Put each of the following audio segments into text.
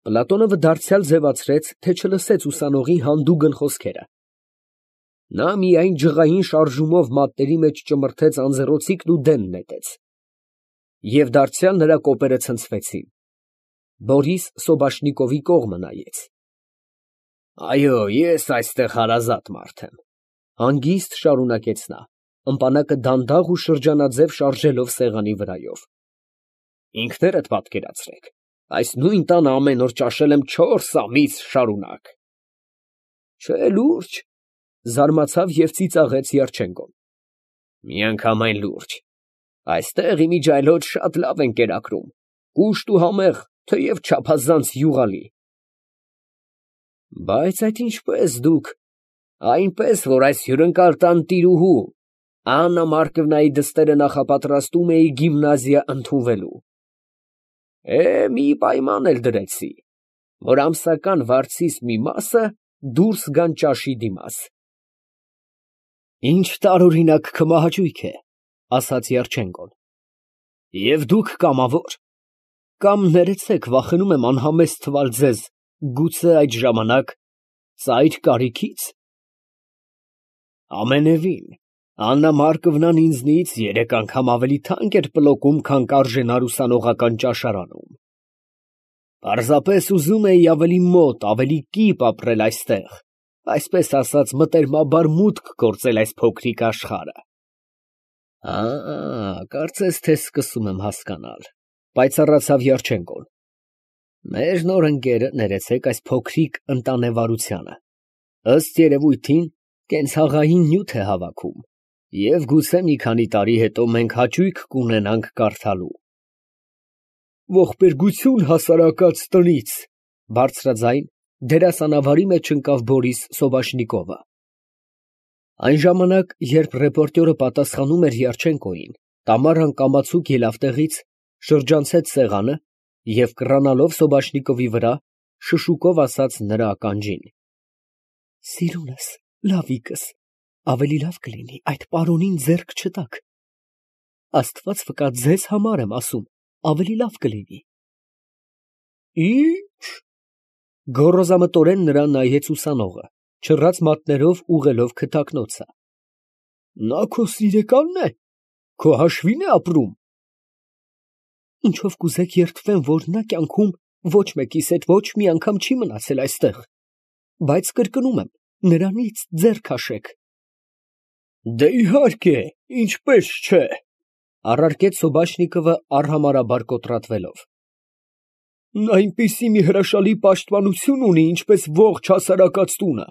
Պլատոնովը դարձյալ ձևացրեց, թե չլսեց ուսանողի հանդուգն խոսքերը. նա միայն ջղային շարժումով մատների մեջ ճմրթեց անձեռոցիկն ու դեն նետեց, և դարձյալ նրա կոպերը ցնցվեցին։ Բորիս Սոբաշնիկովի կողմը նայեց։ Այո, ես այստեղ հարազատ մարդ եմ, հանգիստ շարունակեց նա, ըմպանակը դանդաղ ու շրջանաձև շարժելով սեղանի վրայով։ Ինքներդ պատկերացրեք, այս նույն տանը ամեն օր ճաշել եմ 4 ամիս շարունակ։ Չէ, լուրջ, զարմացավ և ծիծաղեց Երջենկոն։ Միանգամայն լուրջ, այստեղ իմիջիայլոց շատ լավ են կերակրում, կուշտ ու համեղ, թեև չափազանց յուղալի։ Բայց այդ ինչպես դուք, այնպես, որ այս հյուրընկալ տան տիրուհու Աննա Մարկովնայի դստերը նախապատրաստում էի գիմնազիա ընդունվելու։ Մի պայման էլ դրեցի, որ ամսական վարձիս մի մասը դուրս գան ճաշի դիմաց։ Ինչ տարօրինակ քմահաճույք է, ասաց Երջենկոն։ Եվ դուք կամավոր, կամ ներեցեք, վախենում եմ անհամեստ թվալ ձեզ, գուցե այդ ժամանակ ծայր կարիքից։ Ամենևին, Աննա Մարկովնան ինձնից 3 անգամ ավելի թանկ էր պլոկում, քան կարժենար ուսանողական ճաշարանում։ Պարզապես ուզում էի ավելի մոտ, ավելի կիպ ապրել այստեղ, այսպես ասած, մտերմաբար մուտք գործել այս փոքրիկ աշխարհը։ Կարծես թե սկսում եմ հասկանալ, պայծառացավ Երջենկոն։ Մեր նոր ընկերը, ներեցեք, այս փոքրիկ ընտանեվարությանը, ըստ երևույթին, կենցաղային նյութ է հավաքում, և գուցե մի քանի տարի հետո մենք հաճույք կունենանք կարդալու։ Ողբերգություն հասարակած տնից, բարձրաձայն, դերասանավարի մեջ ընկավ Բորիս Սոբաշնիկովը։ Այն ժամանակ, երբ ռեպորտյորը պատասխանում էր Երջենկոյին, Տամարան կամացուկ ելավ տեղից, շրջանցեց սեղանը և կռանալով Սոբաշնիկովի վրա, շշուկով ասաց նրա ականջին. Սիրունս, լավիկս, ավելի լավ կլինի այդ պարոնին ձեռք չտաք։ Աստված վկա, ձեզ համար եմ ասում, ավելի լավ կլինի։ Ի՞նչ։ Գոռոզամտորեն նրան նայեց ուսանողը, չռած մատներով ուղղելով քթակնոցը։ Նա քո սիրեկանն է, քո հաշվին է ապրում։ Ինչով կուզեք երդվեմ, որ նա կյանքում ոչ մեկիս հետ ոչ մի անգամ չի մնացել այստեղ, բայց կրկնում եմ, նրանից ձեռ քաշեք։ Դե իհարկե, ինչպես չէ, առարկեց Սոբաշնիկովը արհամարհաբար կոտրատվելով։ Նա այնպիսի մի հրաշալի պաշտպանություն ունի, ինչպես ողջ հասարակած տունը,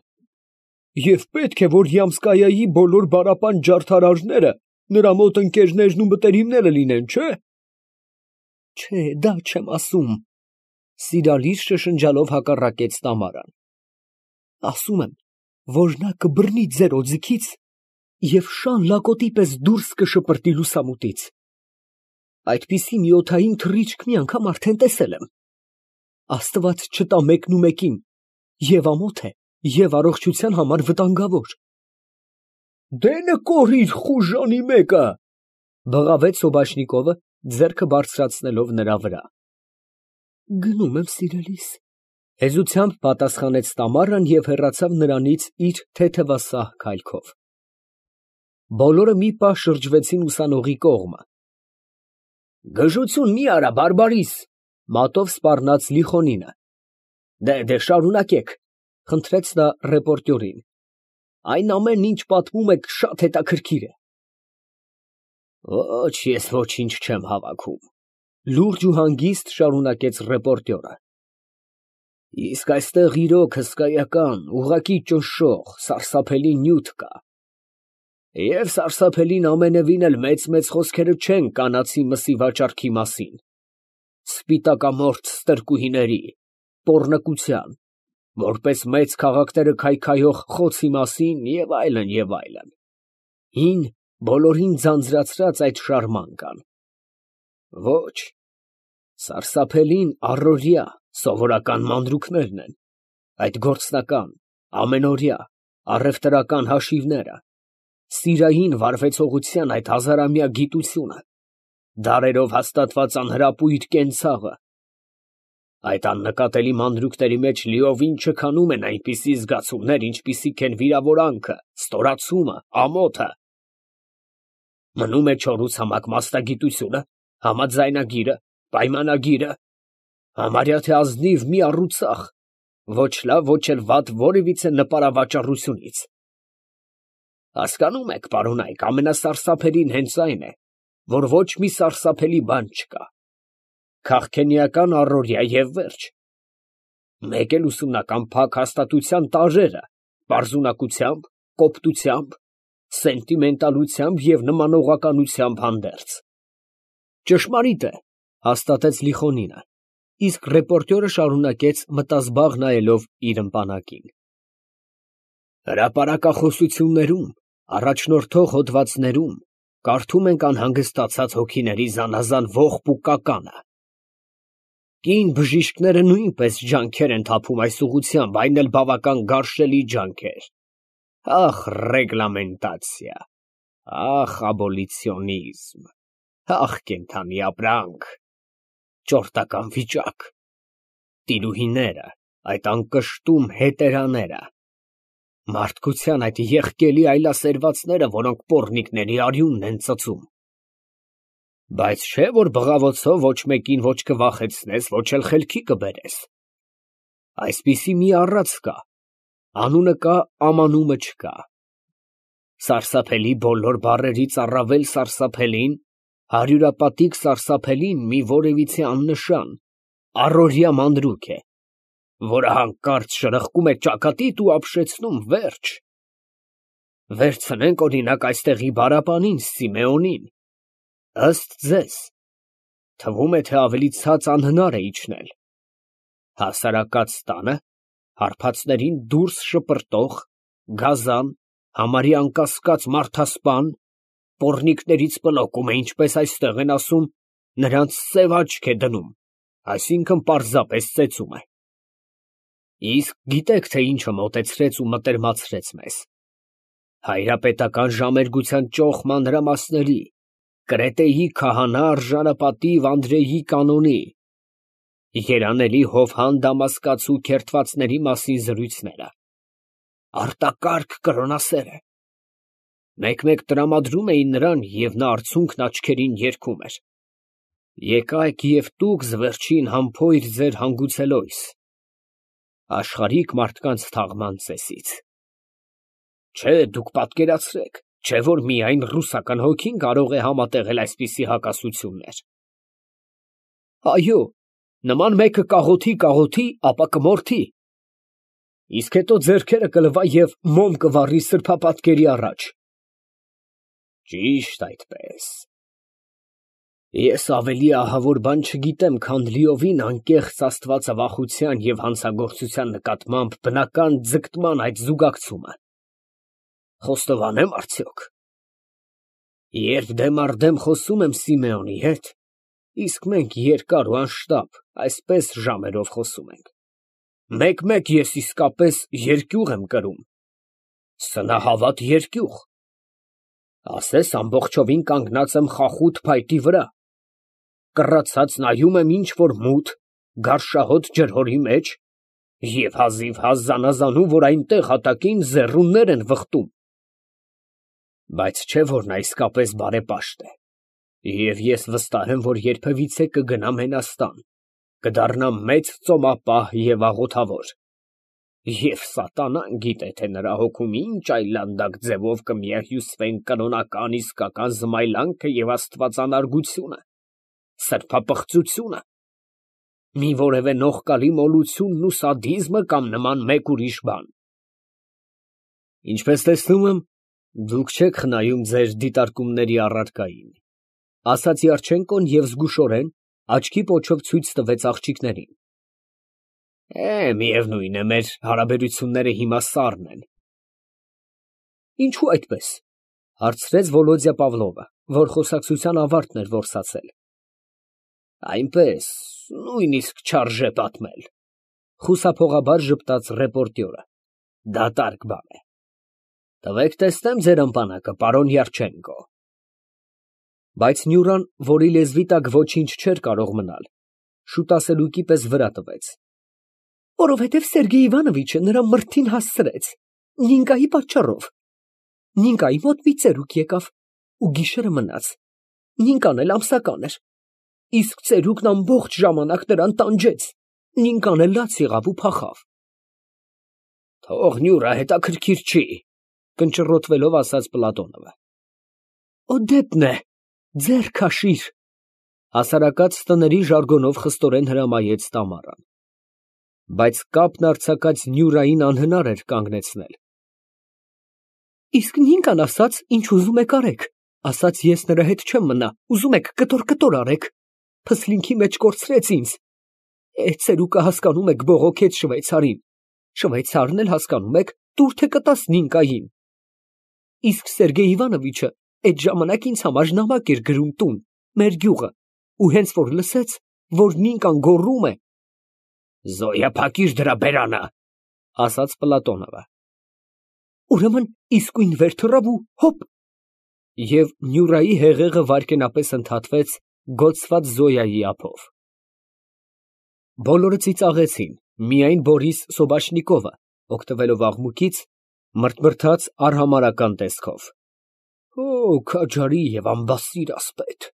և պետք է, որ Յամսկայայի բոլոր բարապան ջարդարարները նրա մոտ ընկերներն ու մտերիմները լինեն, չէ։ Չէ, դա չեմ ասում, սիրալիր շշնջալով հակառակեց Տամարան։ Ասում եմ, որ նա կբռնի ձեր օձիքից և շան լակոտի պես դուրս կշպրտի լուսամուտից։ Այդպիսի մի օդային թռիչք մի անգամ արդեն տեսել եմ։ Աստված չտա մեկնումեկին, և ամոթ է, և առողջության համար վտանգավոր։ Դե նկորիր խուժանի մեկը, բղավեց Սոբաշնիկովը, ձեռքը բարձրացնելով նրա վրա։ Գնում եմ, սիրելիս, հեզությամբ պատասխանեց Տամարան և հեռացավ նրանից իր թեթևասահ քայլքով։ Բոլորը մի պահ շրջվեցին ուսանողի կողմը։ Գժություն մի արա, բարբարիս, մատով սպառնաց Լիխոնինը։ Դե շարունակեք, խնդրեց նա ռեպորտյորին։ Այն ամենն, ինչ պատմում եք, շատ հետաքրքիր է։ Ոչ, ես ոչինչ չեմ հավաքում, լուրջ ու հանգիստ շարունակեց ռեպորտյորը։ Իսկ այստեղ իրոք հսկայական, ուղղակի ճնշող, սարսափելի նյութ կա։ Եվ սարսափելին ամենևին էլ մեծ խոսքերը չեն կանացի մսի վաճառքի մասին, սպիտակամորթ ստրկուհիների, պոռնկության, որպես մեծ քաղաքները քայքայող խոցի մասին և այլն, և այլն։ Հին, բոլորին ձանձրացրած այդ շարմանկան։ Ոչ, սարսափելին առօրյա, սովորական մանրուքներն են, այդ գործնական, ամենօրյա, առևտրական հաշիվները, սիրային վարվեցողության այդ հազարամյա գիտությունը, դարերով հաստատված անհրապույր կենցաղը։ Այդ աննկատելի մանրուքների մեջ լիովին չքանում են այնպիսի զգացումներ, ինչպիսիք են վիրավորանքը, ստորացումը, ամոթը։ Մնում է չորուցամակ մասնագիտությունը, համաձայնագիրը, պայմանագիրը, համարյա թե ազնիվ մի առուծախ, ոչ լավ, ոչ էլ վատ որևիցե նպարավաճառությունից։ Հասկանում եք, պարոնայք, ամենասարսափելին հենց այն է, որ ոչ մի սարսափելի բան չկա։ Քաղքենիական առօրյա և վերջ։ Մեկ էլ ուսումնական փակ հաստատության տարրերը, պարզունակությամբ, կոպտությամբ, սենտիմենտալությամբ և նմանողականությամբ հանդերձ։ Ճշմարիտ է, հաստատեց Լիխոնինը, իսկ ռեպորտյորը շարունակեց մտազբաղ նայելով իր ընտանակին. Հրապարակախոսություններում, առաջնորդող հոդվածներում կարդում ենք անհանգստացած հոգիների զանազան ողբ ու կականը։ Կին բժիշկները նույնպես ջանքեր են թափում այս ուղղությամբ, այն էլ բավական գարշելի ջանքեր։ Ախ, ռեգլամենտացիա, ախ, աբոլիցիոնիզմ, ախ, կենդանի ապրանք, ճորտական վիճակ, տիրուհիները, այդ անկշտում հետերաները, մարդկության այդ եղկելի այլասերվածները, որոնք պոռնիկների արյունն են ծծում։ Բայց չէ, որ բղավոցով ոչ մեկին ոչ կվախեցնես, ոչ էլ խելքի կբերես։ Այսպիսի մի առած կա, անունը կա, ամանումը չկա։ Սարսափելի բոլոր բառերից առավել սարսափելին, հարյուրապատիկ սարսափելին մի որևիցե աննշան, առօրյա մանրուք է, որը հանկարծ շրխկում է ճակատիդ ու ապշեցնում վերջ։ Վերցնենք օրինակ այստեղի բարապանին Սիմեոնին, ըստ ձեզ, թվում է, թե ավելի ցած անհնար է իջնել։ Հասարակած տանը, հարբածներին դուրս շպրտող, գազան, համարյա անկասկած մարդասպան, պոռնիկներից պլոկում է, ինչպես այստեղ են ասում, նրանց սև աչք է դնում, այսինքն պարզապես ծեծում է։ Իսկ գիտեք, թե ինչը մոտեցրեց ու մտերմացրեց մեզ։ Հայրապետական ժամերգության ճոխ մանրամասների, Կրետեի քահանա արժանապատիվ Անդրեյի կանոնի, երանելի Հովհան Դամասկացու քերթվածների մասին զրույցները, արտակարգ կրոնասերը, մեկ-մեկ տրամադրում էին նրան և նա արցունքն աչքերին երգում էր. Եկայք և տուք զվերջին համբույր ձեր հանգուցելոյս, աշխարհիկ մարդկանց թաղման ծեսից։ Չէ, դուք պատկերացրեք, չէ որ միայն ռուսական հոգին կարող է համատեղել այսպիսի հակասություններ։ Այո, նման մեկը կաղոթի, ապա կմորթի, իսկ հետո ձեռքերը կլվա և մոմ կվառի սրբապատկերի առաջ։ Ճիշտ այդպես։ Ես ավելի ահավոր բան չգիտեմ, քան լիովին անկեղծ աստվածավախության և հանցագործության նկատմամբ բնական ձգտման այդ զուգակցումը։ Խոստովանե՞մ արդյոք։ Երբ դեմ առ դեմ խոսում եմ Սիմեոնի հետ, իսկ մենք երկար ու անշտապ այսպես ժամերով խոսում ենք, մեկ-մեկ ես իսկապես երկյուղ եմ կրում, սնահավատ երկյուղ, ասես ամբողջովին կանգնած եմ խախուտ փայտի վրա, կռացած նայում եմ ինչ֊որ մութ, գարշահոտ ջրհորի մեջ և հազիվհազ զանազանում, որ այնտեղ հատակին ձեռուններ են վխտում։ Բայց չէ որ նա իսկապես բարեպաշտ է, և ես վստահ եմ, որ երբևիցե կգնա Մենաստան, կդառնա մեծ ծոմապահ և աղոթավոր, և սատանան գիտե, թե նրա հոգում ինչ այլանդակ ձևով կմիահյուսվեն կրոնական իսկական զմայլանքը և աստվածանարգությունը, սրբապղծությունը, մի որևէ նողկալի մոլությունն ու սադիզմը կամ նման մեկ ուրիշ բան։ Ինչպես տեսնում եմ, դուք չեք խնայում ձեր դիտարկումների առարկային, ասաց Երջենկոն և զգուշորեն աչքի պոչով ցույց տվեց աղջիկներին։ Միևնույն է, մեր հարաբերությունները հիմա սառն են։ Ինչո՞ւ այդպես, հարցրեց Վոլոդյա Պավլովը, որ խոսակցության ավարտն էր որսացել։ Այնպես, նույնիսկ չարժե պատմել, խուսափողաբար ժպտաց ռեպորտյորը, դատարկ բան է։ Տվեք տեսնեմ ձեր ըմպանակը, պարոն Երջենկո։ Բայց Նյուրան, որի լեզվի տակ ոչինչ չէր կարող մնալ, Շուտասելուկի պես վրա տվեց։ Որովհետև Սերգեյ Իվանովիչը նրա մրթին հասցրեց, Նինկայի պատճառով։ Նինկայի մոտ մի ծերուկ եկավ ու գիշերը մնաց։ Նինկան էլ ամսական էր։ Իսկ ծերուկն ամբողջ ժամանակ նրան տանջեց։ Նինկան էլ լաց եղավ ու փախավ։ Թող նյուրը հետաքրքիր չի, կնճռոտվելով ասաց Պլատոնովը։ Օդեպն է, ձեռ քաշիր, հասարակած տների ժարգոնով խստորեն հրամայեց Տամարան։ Բայց կապն արձակած Նյուրային անհնար էր կանգնեցնել։ Իսկ Նինկան ասաց, ինչ ուզում եք արեք, ասաց ես նրա հետ չեմ մնա, ուզում եք կտոր արեք, փսլինքի մեջ կորցրեց ինձ։ Ծերուկը հասկանում եք բողոքեց շվեյցարին, շվեյցարն էլ հասկանում եք տուր թե կտաս Նինկային։ Իսկ Սերգեյ Իվանովիչը այդ ժամանակ ինձ համար նամակ էր գրում տուն, մեր գյուղը, ու հենց որ լսեց, որ Նինկան գոռում է, Զոյա, փակիր դրա բերանը, ասաց Պլատոնովը։ Ուրեմն իսկույն վեր թռավ ու հոպ, և Նյուրայի հեղեղը վայրկենապես ընդհատվեց գոծված Զոյայի ափով։ Բոլորը ծիծաղեցին, միայն Բորիս Սոբաշնիկովը, օգտվելով աղմուկից, մրթմրթաց արհամարհական տեսքով։ Օ, քաջարի և ամբասիր ասպետ։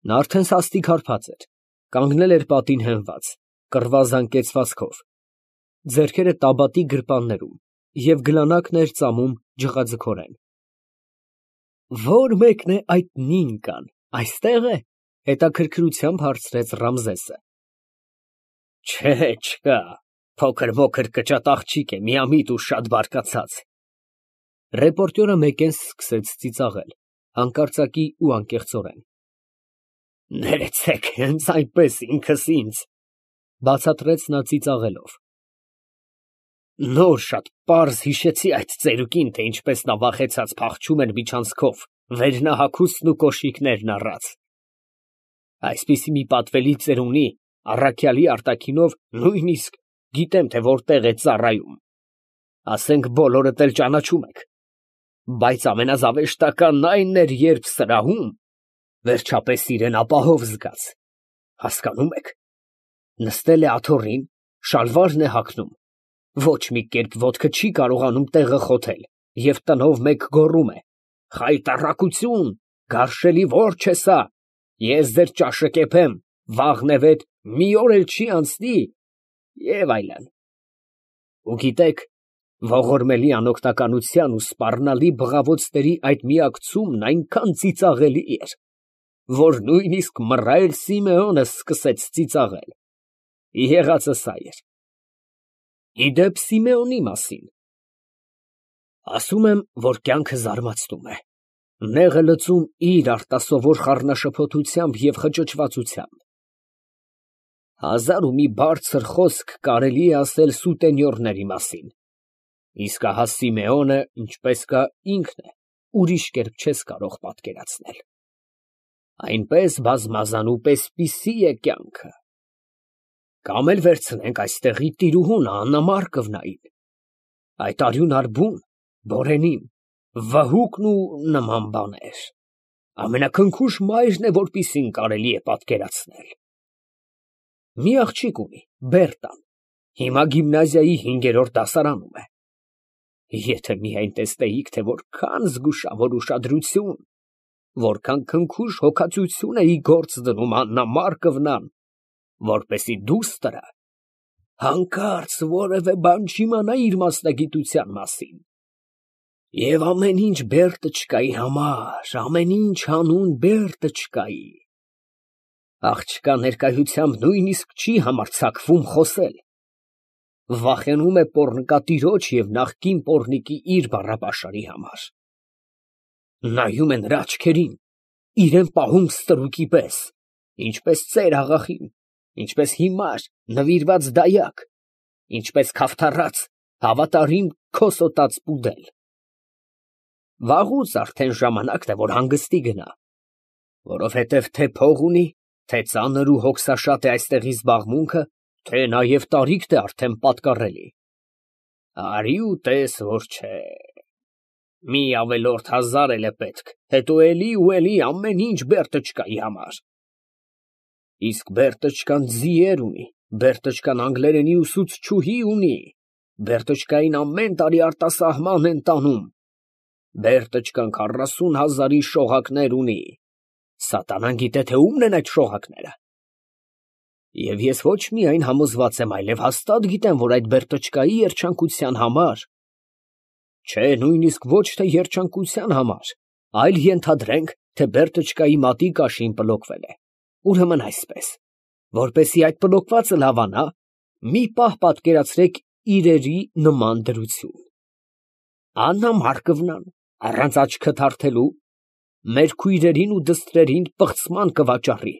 Նա արդեն սաստիկ հարբած էր, կանգնել էր պատին հենված, կռվազան կեցվածքով, ձեռքերը տաբատի գրպաններում և գլանակն էր ծամում ջղաձգորեն։ Ո՞ր մեկն է այդ Նինկան, այստեղ է, հետաքրքրությամբ հարցրեց Ռամզեսը։ Չէ, չկա, փոքր կճատ աղջիկ է, միամիտ ու շատ բարկացած։ Ռեպորտյորը մեկեն սկսեց ծիծաղել, հանկարծակի ու անկեղծորեն։ Ներեցեք, հենց այնպես ինքս ինձ, բացատրեց նա ծիծաղելով։ Նոր շատ պարզ հիշեցի այդ ծերուկին, թե ինչպես նա վախեցած փախչում էր միջանցքով, վերնահագուստն ու կոշիկներն առած։ Այսպիսի մի պատվելի ծերունի, առաքյալի արտաքինով նույնիսկ գիտեմ, թե որտեղ է ծառայում։ Ասենք բոլորդ էլ ճանաչում եք։ Բայց ամենազավեշտականն այն էր, երբ սրահում վերջապես իրեն ապահով զգաց։ Հասկանում եք։ Նստել է աթոռին, շալվարն է հագնում, ոչ մի կերպ ոտքը չի կարողանում տեղը խոթել և տնով մեկ գոռում է. Խայտառակություն, գարշելի որջ է սա, ես ձեր ճաշը կեպեմ, վաղնևեթ մի օր էլ չի անցնի և այլն։ Ու գիտեք, ողորմելի անօգնականության ու սպառնալի բղավոցների այդ միակցումն այնքան ծիծաղելի էր, որ նույնիսկ մռայլ Սիմեոնը սկսեց ծիծաղել։ Եղածը սա էր։ Ի դեպ Սիմեոնի մասին։ Ասում եմ, որ կյանքը զարմացնում է, նեղը լծում իր արտասովոր խառնաշփոթությամբ և խճճվածությամբ։ Հազար ու մի բարձր խոսք կարելի է ասել սուտենյորների մասին, իսկ ահա Սիմեոնը, ինչպես կա, ինքն է, ուրիշ կերպ չես կարող պատկերացնել։ Այնպես բազմազան ու պեսպիսի է կյանքը։ Կամ էլ վերցնենք այստեղի տիրուհուն Աննա Մարկովնային, այդ արյունար բուն, Բորենին, վհուկն ու նման բաներ։ Ամենաքնքուշ մայրն է, որպիսին կարելի է պատկերացնել։ Մի աղջիկ ունի, Բերտան, հիմա գիմնազիայի 5-րդ դասարանում է։ Եթե միայն տեսնեիք, թե որքան զգուշավոր ուշադրություն, որքան քնքուշ հոգածություն է ի գործ դնում Աննա Մարկովնան, որպեսի դուստրը հանկարծ որևէ բան չիմանա իր մասնագիտության մասին։ Եվ ամեն ինչ Բերտչկայի համար, ամեն ինչ հանուն Բերտչկայի։ Աղջկա ներկայությամբ նույնիսկ չի համարձակվում խոսել։ Վախենում է պոռնկատիրոջ և նախկին պոռնիկի իր բառապաշարի համար։ Նայում է նրա աչքերին, իրեն պահում ստրուկի պես, ինչպես ծեր աղախին, ինչպես հիմար, նվիրված դայակ, ինչպես քավթառած, հավատարիմ քոսոտած պուդել։ Վաղուց արդեն ժամանակն է, որ հանգստի գնա, որովհետև թե փող ունի, թե ծանր ու հոգսաշատ է այստեղի զբաղմունքը, թե նաև տարիքն է արդեն պատկառելի։ Արի ու տես, որ չէ։ Մի ավելորդ 1000 էլ է պետք, հետո էլի ու էլի ամեն ինչ Բերտչկայի համար։ Իսկ Բերտոչկան ձիեր ունի, Բերտոչկան անգլերենի ուսուցչուհի ունի, Բերտոչկային ամեն տարի արտասահման են տանում, Բերտոչկան 40,000-ի շողակներ ունի, սատանան գիտե թե ումն են այդ շողակները։ Եվ ես ոչ միայն համոզված եմ, այլև հաստատ գիտեմ, որ այդ Բերտոչկայի երջանկության համար, չէ, նույնիսկ ոչ թե երջանկության համար, այլ ենթադրենք, թե Բերտոչկայի մատի կաշին պլոկվել է, ուրեմն այսպես, որպեսզի այդ պլոկվածը լավանա, մի պահ պատկերացրեք իրերի նման դրություն. Աննա Մարկովնան առանց աչքը թարթելու մեր քույրերին ու դստրերին պղծման կվաճառի,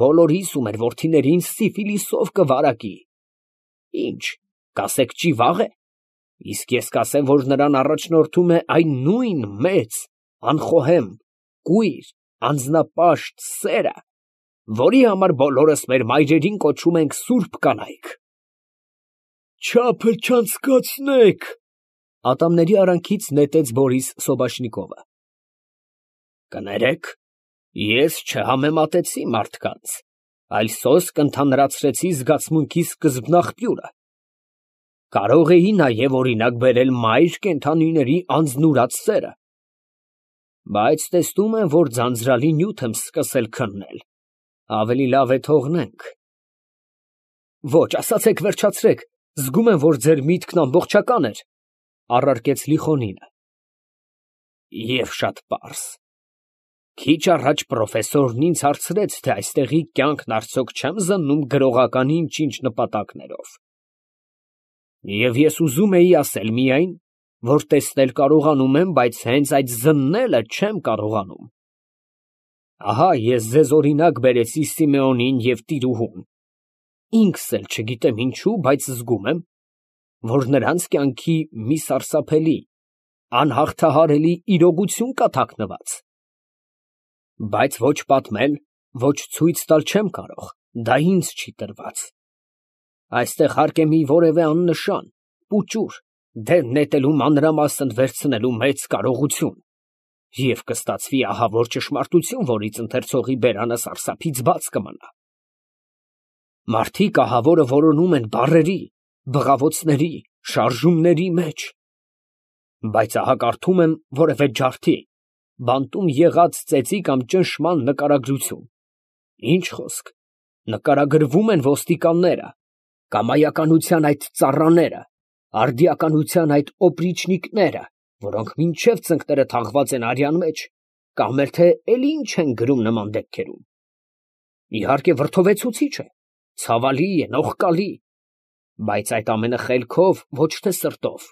բոլորիս ու մեր որդիներին սիֆիլիսով կվարակի։ Ինչ, կասեք ճիվաղ է, իսկ ես կասեմ, որ նրան առաջնորդում է այն նույն մեծ, անխոհեմ, կույր, անձնապաշտ սերը, որի համար բոլորս մեր մայրերին կոչում ենք սուրբ կանայք։ Չափը չանցկացնեք, ատամների արանքից նետեց Բորիս Սոբաշնիկովը։ Կներեք, ես չհամեմատեցի մարդկանց, այլ սոսկ ընդհանրացրեցի զգացմունքի սկզբնաղբյուրը։ Կարող էի նաև օրինակ բերել մայր կենդանիների անձնուրաց սերը, բայց տեսնում եմ, որ ձանձրալի նյութ եմ սկսել քննել, ավելի լավ է թողնենք։ Ոչ, ասացեք, վերջացրեք, զգում եմ, որ ձեր միտքն ամբողջական էր, առարկեց Լիխոնինը։ Եվ շատ պարզ։ Քիչ առաջ պրոֆեսորն ինձ հարցրեց, թե այստեղի կյանքն արդյոք չեմ զննում գրողական ինչ-ինչ նպատակներով։ Եվ ես ուզում էի ասել միայն, որ տեսնել կարողանում եմ, բայց հենց այդ զննելը չեմ կարողանում։ Ահա ես ձեզ օրինակ բերեցի Սիմեոնին և տիրուհուն։ Ինքս էլ չգիտեմ ինչու, բայց զգում եմ, որ նրանց կյանքի մի սարսափելի, անհաղթահարելի իրողություն կա թաքնված։ Բայց ոչ պատմել, ոչ ցույց տալ չեմ կարող, դա ինձ չի տրված։ Այստեղ հարկ է մի որևէ աննշան, պուճուր, դեն նետելու մանրամասն վերցնելու մեծ կարողություն, և կստացվի ահավոր ճշմարտություն, որից ընթերցողի բերանը սարսափից բաց կմնա։ Մարդիկ ահավորը որոնում են բառերի, բղավոցների, շարժումների մեջ, բայց ահա կարդում եմ որևէ ջարդի, բանտում եղած ծեծի կամ ճնշման նկարագրություն։ Ինչ խոսք, նկարագրվում են ոստիկանները, կամայականության այդ ծառաները, արդիականության այդ օպրիչնիկները, որոնք մինչև ծնկները թաղված են արյան մեջ, կամ էլ թե էլի ինչ են գրում նման դեպքերում։ Իհարկե վրդովեցուցիչ է, ցավալի է, նողկալի, բայց այդ ամենը խելքով, ոչ թե սրտով։